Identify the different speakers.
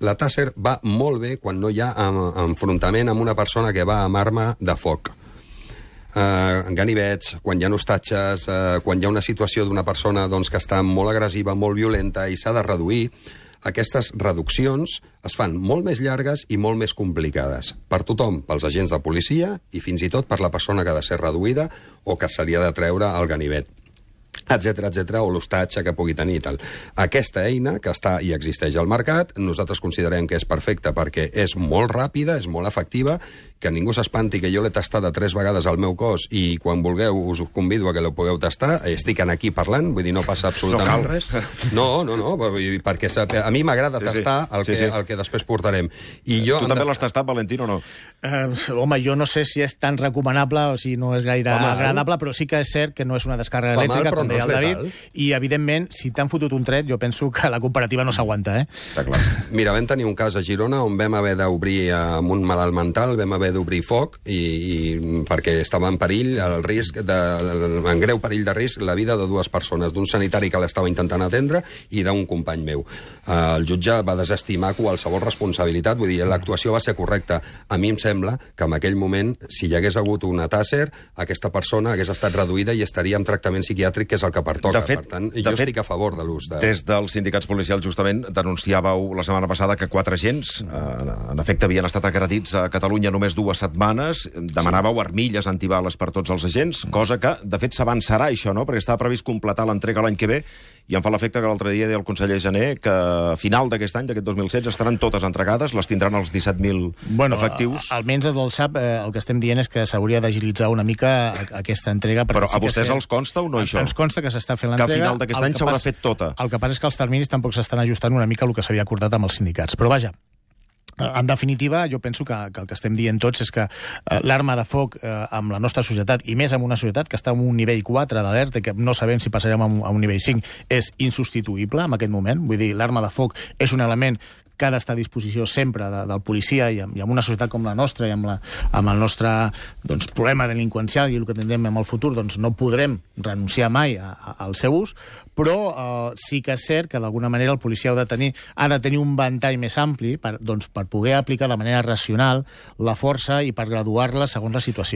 Speaker 1: La Taser va molt bé quan no hi ha enfrontament amb una persona que va amb arma de foc. Ganivets, quan hi ha hostatges, quan hi ha una situació d'una persona que està molt agressiva, molt violenta i s'ha de reduir, aquestes reduccions es fan molt més llargues i molt més complicades. Per tothom, pels agents de policia i fins i tot per la persona que ha de ser reduïda o que se li ha de treure el ganivet, etcètera, o l'hostatge que pugui tenir i tal. Aquesta eina, que està i existeix al mercat, nosaltres considerem que és perfecta perquè és molt ràpida, és molt efectiva, que ningú s'espanti que jo l'he tastada 3 vegades al meu cos i quan vulgueu us convido a que la pugueu tastar. Estic aquí parlant, vull dir, no passa absolutament res. No, perquè a mi m'agrada tastar el que després portarem. Tu
Speaker 2: també l'has tastat, Valentino, o no?
Speaker 3: Home, jo no sé si és tan recomanable o si no és gaire agradable, però sí que és cert que no és una descàrrega elèctrica, com deia el David, i evidentment, si t'han fotut un tret, jo penso que la comparativa no s'aguanta,
Speaker 2: Està clar.
Speaker 1: Mira, vam tenir un cas a Girona on vam haver d'obrir amb un malalt mental, vam haver d'obrir foc perquè estava en perill, en greu perill de risc, la vida de 2 persones, d'un sanitari que l'estava intentant atendre i d'un company meu. El jutge va desestimar qualsevol responsabilitat, vull dir, l'actuació va ser correcta. A mi em sembla que en aquell moment, si hi hagués hagut una Taser, aquesta persona hagués estat reduïda i estaria en tractament psiquiàtric, que és el que pertoca. Per tant, jo estic a favor de l'ús de...
Speaker 2: Des dels sindicats policials, justament, denunciàveu la setmana passada que 4 agents, en efecte, havien estat agredits a Catalunya només 2 setmanes. Demanàveu armilles antibales per tots els agents, cosa que, de fet, s'avançarà, això, no? Perquè estava previst completar l'entrega l'any que ve, i em fa l'efecte que l'altre dia deia el conseller Jané que a final d'aquest any, d'aquest 2016, estaran totes entregades, les tindran els 17.000 efectius.
Speaker 3: Almenys el SAP, el que estem dient és que s'hauria d'agilitzar una mica aquesta entrega.
Speaker 2: Però a vostès els consta o no, això?
Speaker 3: Ens consta que s'està fent l'entrega.
Speaker 2: Que a final d'aquest any s'haurà fet tota.
Speaker 3: El que passa és que els terminis tampoc s'estan ajustant una mica el que s'havia acordat amb els sindicats. Però vaja, en definitiva, jo penso que el que estem dient tots és que l'arma de foc amb la nostra societat, i més amb una societat que està en un nivell 4 d'alerta, que no sabem si passarem a un nivell 5, és insubstituïble en aquest moment. Vull dir, l'arma de foc és un element que ha d'estar a disposició sempre del policia i amb una societat com la nostra i amb el nostre problema delinqüencial i el que tindrem en el futur, no podrem renunciar mai al seu ús, però sí que és cert que d'alguna manera el policia ha de tenir un ventall més ampli per poder aplicar de manera racional la força i per graduar-la segons la situació.